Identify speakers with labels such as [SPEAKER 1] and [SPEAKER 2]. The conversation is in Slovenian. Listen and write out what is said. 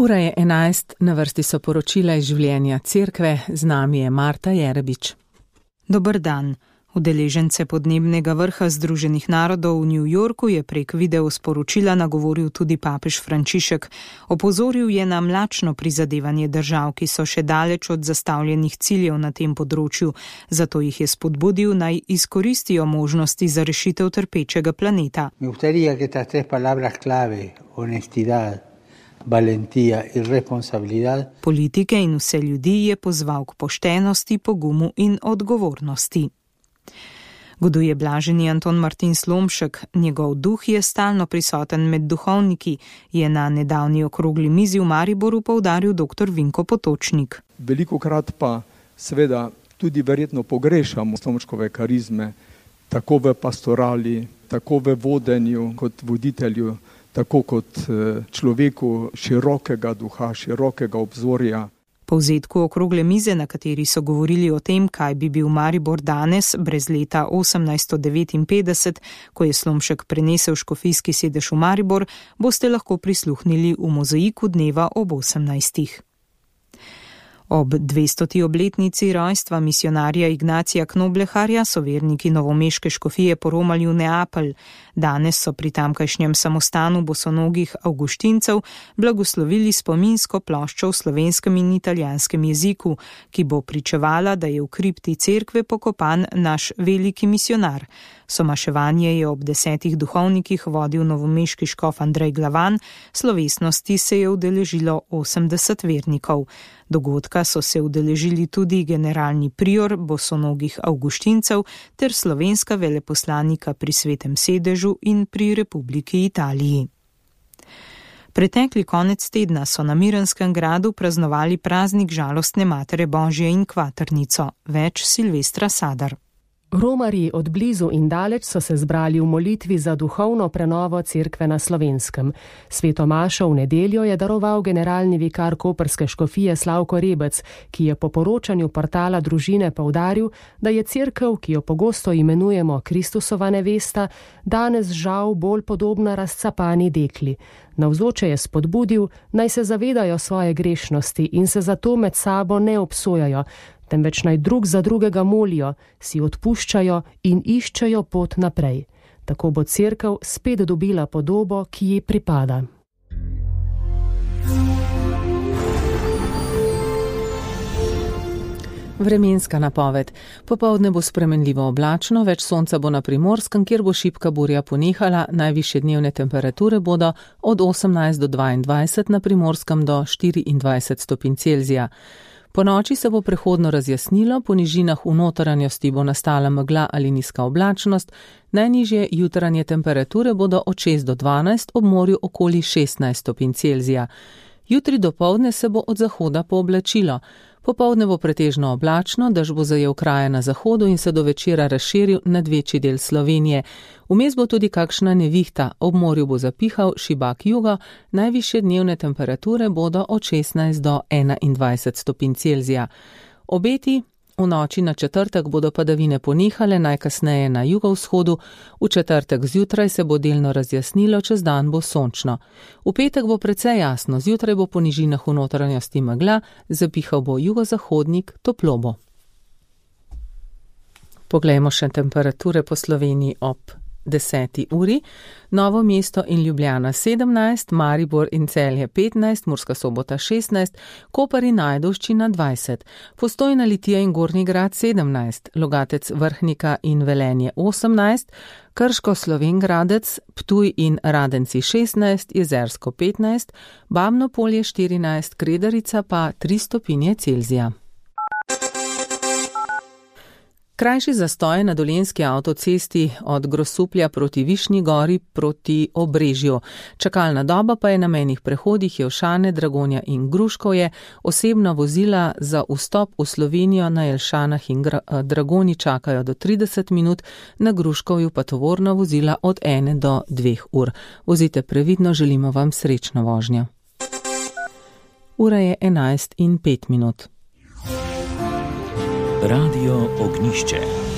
[SPEAKER 1] Ura je 11, na vrsti so poročila iz življenja cerkve, z nami je Marta Jerebič.
[SPEAKER 2] Dober dan. Udeležence podnebnega vrha Združenih narodov v New Yorku je prek videosporočila nagovoril tudi papež Frančišek. Opozoril je na mlačno prizadevanje držav, ki so še daleč od zastavljenih ciljev na tem področju, zato jih je spodbudil naj izkoristijo možnosti za rešitev trpečega planeta.
[SPEAKER 3] Valentija in responsabilidad.
[SPEAKER 2] Politike in vse ljudi je pozval k poštenosti, pogumu in odgovornosti. Goduje blaženi Anton Martin Slomšek, njegov duh je stalno prisoten med duhovniki, je na nedavni okrogli mizi v Mariboru poudaril dr. Vinko Potočnik.
[SPEAKER 4] Velikokrat pa seveda tudi verjetno pogrešamo Slomškove karizme, tako v pastorali, tako v vodenju kot voditelju, tako kot človeku širokega duha, širokega obzorja.
[SPEAKER 2] Po povzetku okrogle mize, na kateri so govorili o tem, kaj bi bil Maribor danes, brez leta 1859, ko je Slomšek prenesel škofijski sedež v Maribor, boste lahko prisluhnili v mozaiku dneva ob 18. Ob 200. obletnici rojstva misionarja Ignacija Knobleharja so verniki novomeške škofije poromali v Neapelj. Danes so pri tamkajšnjem samostanu bosonogih avguštincev blagoslovili spominsko ploščo v slovenskem in italijanskem jeziku, ki bo pričevala, da je v kripti cerkve pokopan naš veliki misionar. Somaševanje je ob 10 duhovnikih vodil novomeški škof Andrej Glavan, slovesnosti se je udeležilo 80 vernikov. Dogodka so se udeležili tudi generalni prior bosonogih avguštincev ter slovenska veleposlanika pri Svetem sedežu in pri Republiki Italiji. Pretekli konec tedna so na Miranskem gradu praznovali praznik žalostne Matere Božje in kvaternico. Več Silvestra Sadar.
[SPEAKER 5] Romarji od blizu in daleč so se zbrali v molitvi za duhovno prenovo cerkve na Slovenskem. Sveto mašo v nedeljo je daroval generalni vikar koprske škofije Slavko Rebec, ki je po poročanju portala Družine poudaril, da je cerkev, ki jo pogosto imenujemo Kristusova nevesta, danes žal bolj podobna razcapani dekli. Navzoče je spodbudil, naj se zavedajo svoje grešnosti in se zato med sabo ne obsojajo, temveč naj drug za drugega molijo, si odpuščajo in iščejo pot naprej. Tako bo cerkev spet dobila podobo, ki ji pripada.
[SPEAKER 1] Vremenska napoved. Popoldne bo spremenljivo oblačno, več sonca bo na Primorskem, kjer bo šibka burja ponehala, najvišje dnevne temperature bodo od 18 do 22, na Primorskem do 24 stopinj Celzija. Po noči se bo prehodno razjasnilo, po nižinah v notranjosti bo nastala megla ali nizka oblačnost, najnižje jutranje temperature bodo od 6 do 12, ob morju okoli 16 stopinj Celzija. Jutri dopoldne se bo od zahoda pooblačilo. Popoldne bo pretežno oblačno, dež bo zajel kraje na zahodu in se do večera razširil nad večji del Slovenije. Vmes bo tudi kakšna nevihta, ob morju bo zapihal šibak jugo, najvišje dnevne temperature bodo od 16 do 21 stopinj Celzija. Obeti v noči na četrtek bodo padavine ponehale, najkasneje na jugovzhodu, v četrtek zjutraj se bo delno razjasnilo, čez dan bo sončno. V petek bo precej jasno, zjutraj bo po nižinah v notranjosti megla, zapihal bo jugozahodnik, toplo bo. Poglejmo še temperature po Sloveniji ob 10. uri. Novo mesto in Ljubljana 17, Maribor in Celje 15, Murska Sobota 16, Koper in Ajdovščina 20, Postojna, Litija in Gornji Grad 17, Logatec, Vrhnika in Velenje 18, Krško, Slovenj Gradec, Ptuj in Radenci 16, Jezersko 15, Babno Polje 14, Kredarica pa 3 stopinje Celzija. Krajši zastoj na Dolenjski avtocesti od Grosuplja proti Višnji Gori proti Obrežju. Čakalna doba pa je na mejnih prehodih Jelšane, Dragonja in Gruškovje. Osebna vozila za vstop v Slovenijo na Jelšanah in Dragonji čakajo do 30 minut, na Gruškovju pa tovorna vozila od 1 do 2 ur. Vozite previdno, želimo vam srečno vožnjo. Ura je 11:05.
[SPEAKER 6] Radio Ognišče.